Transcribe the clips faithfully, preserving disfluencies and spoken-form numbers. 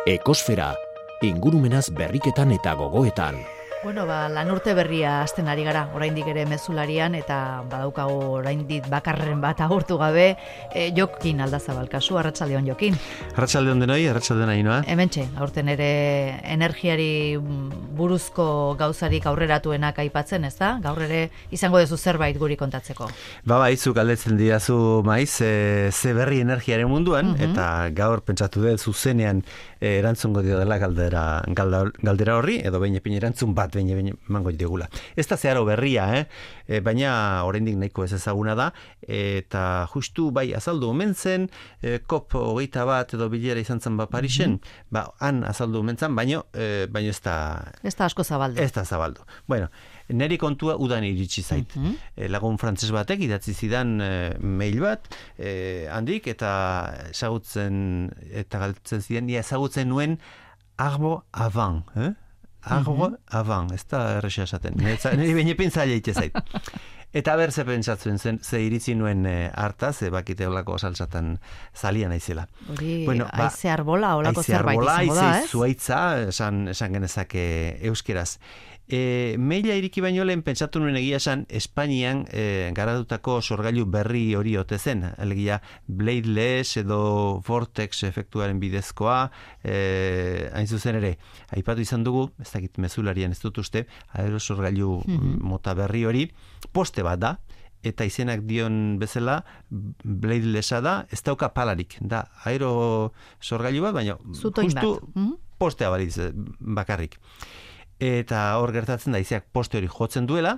Ekosfera, ingurumenaz berriketan eta gogoetan. Bueno, ba, lan urte berria hasten ari gara, oraindik ere mezularian, eta badaukagu oraindik bakarren bat agurtu gabe, e, Jokin Aldazabal kasu, arratsaldeon Jokin. Arratsaldeon denoi, arratsaldeon Ainhoa. Hementxe, aurten ere energiari buruzko gauzarik aurreratuenak aipatzen, ez da? Gaur ere izango duzu zerbait guri kontatzeko. Ba, bai, zuk galdetzen didazu maiz, e, ze berri energiaren munduan, uh-huh. eta gaur pentsatu dut zuzenean e, erantzungo dio dela galdera, galdera, galdera horri, edo behin epin erantzun bat behin behin mango digula. Ez da zeharo berria, eh? E, baina oraindik nahiko ez ezaguna da, eta justu bai azaldu omen zen, e, kop hogeita bat edo bilera izan zen ba Parisen, mm-hmm. ba han azaldu omen zen, baino, e, baino ez da... Ez da asko zabaldu. Ez da zabaldu. Bueno, neri kontua udan iritsi zait. Mm-hmm. E, lagun frantses batek idatzi zidan e, mail bat, e, handik, eta ezagutzen, eta galtzen zidan, ia ezagutzen nuen arbo avant, eh? Arbo mm-hmm. avant, ez da errexea esaten. Niri baina pentsaile itezait. Eta ber ze pentsatzen zen, ze iritzi nuen e, hartaz, e, bakite olako saltzatan zalia naizela. Hori, bueno, ba, aize arbola, olako zerbait izango da, ez? Aize arbola, aize zuaitza, esan, esan genezake euskeraz. E, maila iriki baino lehen pentsatu nuen egia esan Espainian e, garatutako sorgailu berri hori ote zen, alegia bladeless edo vortex efektuaren bidezkoa, e, hain zuzen ere aipatu izan dugu, ez dakit mezularian ez dut uste, aerosorgailu mm-hmm. mota berri hori poste bat da, eta izenak dion bezala bladelessa da, ez dauka palarik, da aerosorgailu bat, baina Zutoin justu mm-hmm. postea balitz bakarrik. Eta hor gertatzen da izeak poste hori jotzen duela,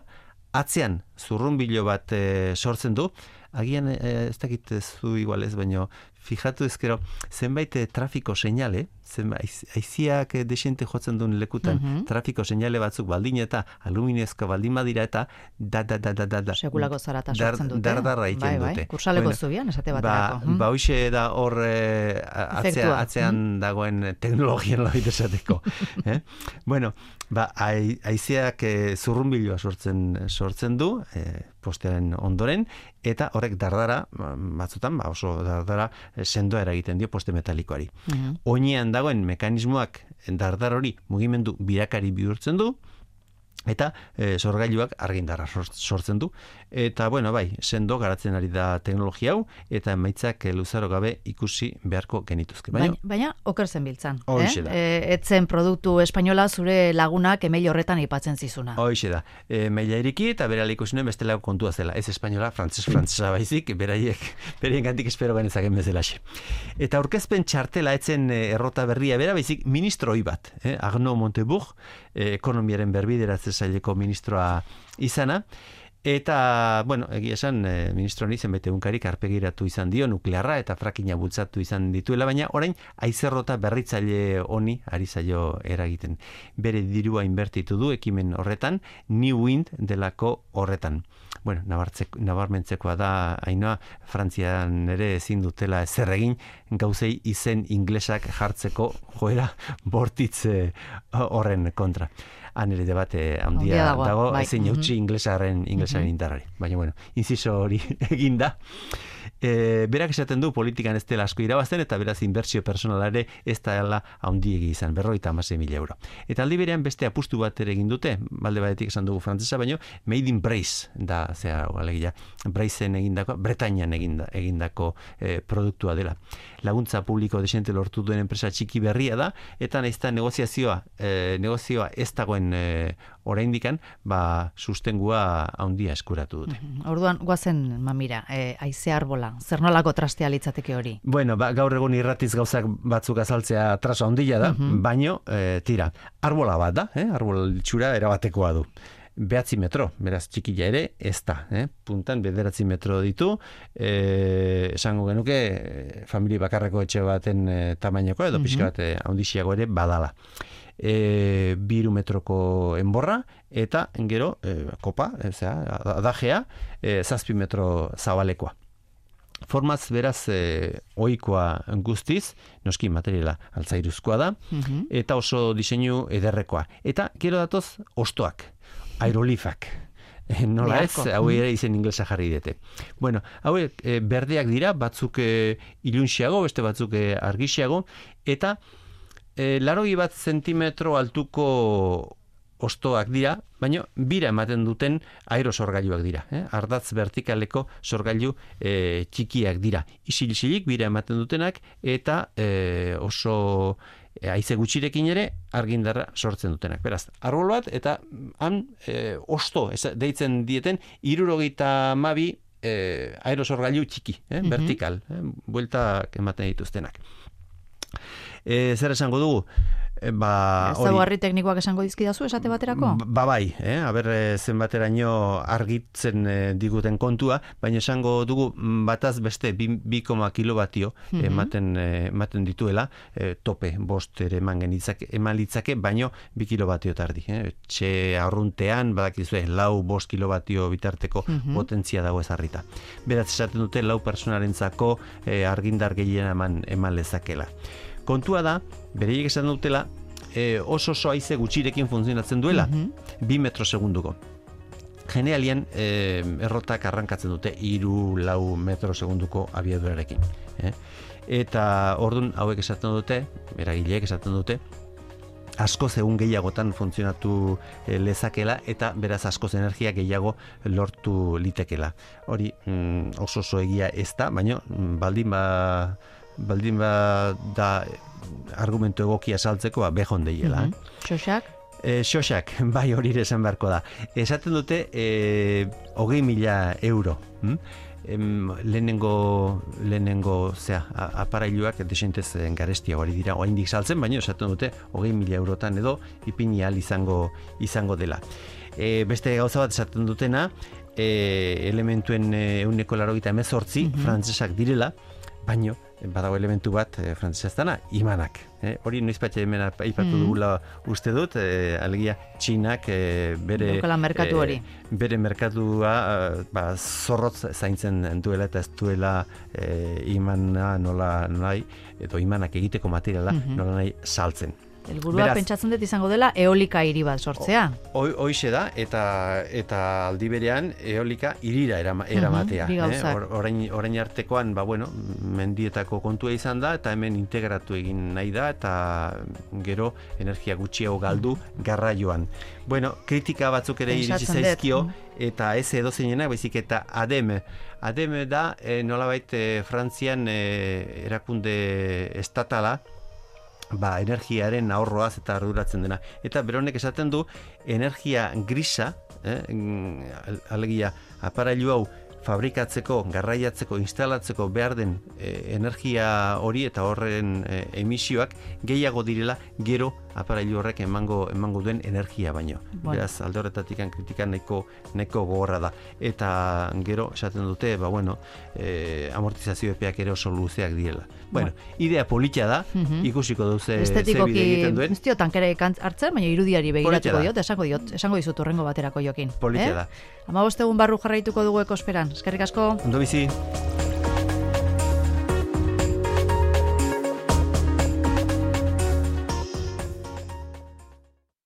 atzean zurrunbilo bat e, sortzen du, agian e, ez dakit zu igual ez, baino fijatu ezkero, zenbait e, trafiko seinale, zenbait aiziak e, desente jotzen duen lekutan, mm-hmm. trafiko seinale batzuk baldin eta aluminezko baldin badira eta da da da da da da. Sekulako zarata sortzen dute. Dardarra egiten bai, dute. Bai, kursaleko bueno, zubian, esate baterako. Ba, ba hoxe da hor e, atzea, atzean mm-hmm. dagoen teknologian loit esateko. eh? Bueno, ba, aizeak e, zurrunbiloa sortzen, sortzen du, e, postearen ondoren, eta horrek dardara, batzutan, ba, oso dardara sendoa eragiten dio poste metalikoari. Mm-hmm. Oinean dagoen mekanismoak dardar hori mugimendu birakari bihurtzen du, eta e, sorgailuak argindarra sortzen du. Eta, bueno, bai, sendo garatzen ari da teknologia hau, eta emaitzak e, luzaro gabe ikusi beharko genituzke. Baina, baina, baina oker zen biltzan. Hoxe da. Eh? E, etzen produktu espainola zure lagunak email horretan aipatzen zizuna. Hoxe da. E, maila iriki eta berala ikusi nuen bestelako kontua zela. Ez espainola, frantses frantsesa baizik, beraiek, beraien gantik espero genezaken bezalaxe. Eta aurkezpen txartela etzen e, errota berria bera, baizik ministroi bat. Eh? Arnaud Montebourg, e, ekonomiaren berbideratzen saileko ministroa izana, eta, bueno, egia esan, e, ministro hori zenbait egunkarik arpegiratu izan dio, nuklearra eta frakina bultzatu izan dituela, baina orain aizerrota berritzaile honi ari zaio eragiten. Bere dirua inbertitu du ekimen horretan, New Wind delako horretan. Bueno, nabarmentzekoa da, Ainhoa, Frantzian ere ezin dutela ezer egin, gauzei izen inglesak jartzeko joera bortitze horren kontra. Han ere debate handia dago, dago bai. Ezin eutxi mm-hmm. inglesaren, inglesaren mm-hmm. indarrari. Baina, bueno, inziso hori eginda. E, berak esaten du politikan ez dela asko irabazten, eta beraz inbertsio personalare ez dela handiegi izan, berrogeita hamasei mila euro. Eta aldi berean beste apustu bat ere egin dute, balde batetik esan dugu frantzesa, baino made in Brace da, zera, alegia, Braceen egindako, Bretañan eginda, egindako e, produktua dela. Laguntza publiko desente lortu duen enpresa txiki berria da, eta naizta negoziazioa, e, negozioa ez dagoen e, oraindikan, ba, sustengua handia eskuratu dute. Mm-hmm. Orduan, guazen, mamira, e, aize arbola, zer nolako trastea litzateke hori? Bueno, ba, gaur egun irratiz gauzak batzuk azaltzea traso handia da, mm-hmm. baino, e, tira, arbola bat da, eh? Arbol txura erabatekoa du. Behatzi metro, beraz txikila ere, ez da, eh? Puntan bederatzi metro ditu, e, esango genuke, e, familia bakarreko etxe baten e, tamainako, edo mm-hmm. pixka bat e, handixiago ere badala. E, biru metroko enborra, eta gero e, kopa, e, zera, adajea, e, zazpi metro zabalekoa. Formaz beraz e, ohikoa guztiz, noski materiala altzairuzkoa da, mm-hmm. eta oso diseinu ederrekoa. Eta gero datoz ostoak, aerolifak. Nola ez, hau ere izen inglesa jarri dute. Bueno, hau e, berdeak dira, batzuk e, ilunxiago, beste batzuk e, argixiago, eta e, larogei bat zentimetro altuko ostoak dira, baina bira ematen duten aerosorgailuak dira. Eh? Ardatz vertikaleko sorgailu e, txikiak dira. Isil-isilik bira ematen dutenak eta e, oso e, haize gutxirekin ere argindarra sortzen dutenak. Beraz, arbol bat eta han e, osto ez, deitzen dieten hirurogeita hamabi e, aerosorgailu txiki, eh? Mm-hmm. Vertikal, eh? Bueltak ematen dituztenak. E, zer esango dugu? E, ba, Ezaugarri teknikoak esango dizkidazu esate baterako? Ba bai, eh? Aber zenbateraino argitzen eh, diguten kontua, baina esango dugu bataz beste bi koma kilobatio mm-hmm. ematen, eh, ematen dituela, eh, tope bost ere eman genitzake, eman litzake, baino bi kilobatio tardi. Eh? Txe arruntean, badakizue, lau bost kilobatio bitarteko mm-hmm. potentzia dago ezarrita. Beraz esaten dute lau personarentzako eh, argindar gehien eman, eman lezakela. Kontua da, bereiek esan dutela, e, oso oso haize gutxirekin funtzionatzen duela, mm-hmm. bi metro segunduko. Generalian, e, errotak arrankatzen dute hiru lau metro segunduko abiadurarekin. Eh? Eta ordun hauek esaten dute, eragileek esaten dute, askoz egun gehiagotan funtzionatu e, lezakela eta beraz askoz energia gehiago lortu litekela. Hori mm, oso oso egia ez da, baina baldin ba... baldin ba da argumentu egokia saltzeko ba behon deiela. Mm-hmm. Xoxak? E, xoxak, bai hori ere esan beharko da. Esaten dute e, hogei mila euro. Hm? Em, lehenengo, lehenengo zea, aparailuak desentez garestia hori dira, oraindik saltzen, baina esaten dute hogei mila eurotan edo ipini ahal izango, izango dela. E, beste gauza bat esaten dutena, e, elementuen ehuneko laurogeita hemezortzi mm-hmm. frantsesak direla, baino badago elementu bat e, frantseseztana, imanak. E, hori noizpatxe hemen aipatu mm. dugula uste dut, e, alegia Txinak e, bere merkatu hori. E, bere merkatua ba, zorrotz zaintzen duela eta ez duela e, imana nola nahi, edo imanak egiteko materiala mm-hmm. nola nahi saltzen. Helburua pentsatzen dut izango dela eolika hiri bat sortzea. Hoixe da, eta eta aldi berean eolika hirira erama, eramatea. Uh-huh, eh? Or, orain, orain artekoan, ba, bueno, mendietako kontua izan da, eta hemen integratu egin nahi da, eta gero energia gutxiago galdu garraioan. Bueno, kritika batzuk ere iritsi zaizkio, eta ez edozeinenak, baizik eta ADEME. ADEME da, e, nolabait e, Frantzian e, erakunde estatala, ba, energiaren ahorroaz eta arduratzen dena. Eta beronek esaten du, energia grisa, eh, alegia, aparailu hau fabrikatzeko, garraiatzeko, instalatzeko behar den e, energia hori eta horren e, emisioak gehiago direla gero aparailu horrek emango emango duen energia baino. Bueno. Beraz, alde horretatik kritika nahiko nahiko gogorra da. Eta gero esaten dute, ba bueno, e, amortizazio epeak ere oso luzeak direla. Bueno, bueno. Idea polita da, mm-hmm. ikusiko duze ze bide egiten duen. Ez diotan kere hartzen, baina irudiari begiratuko diot, esango diot, esango dizut horrengo baterako jokin. Polita eh? da. hamabost egun barru jarraituko dugu ekosferan. Eskerrik asko. Ondo bizi.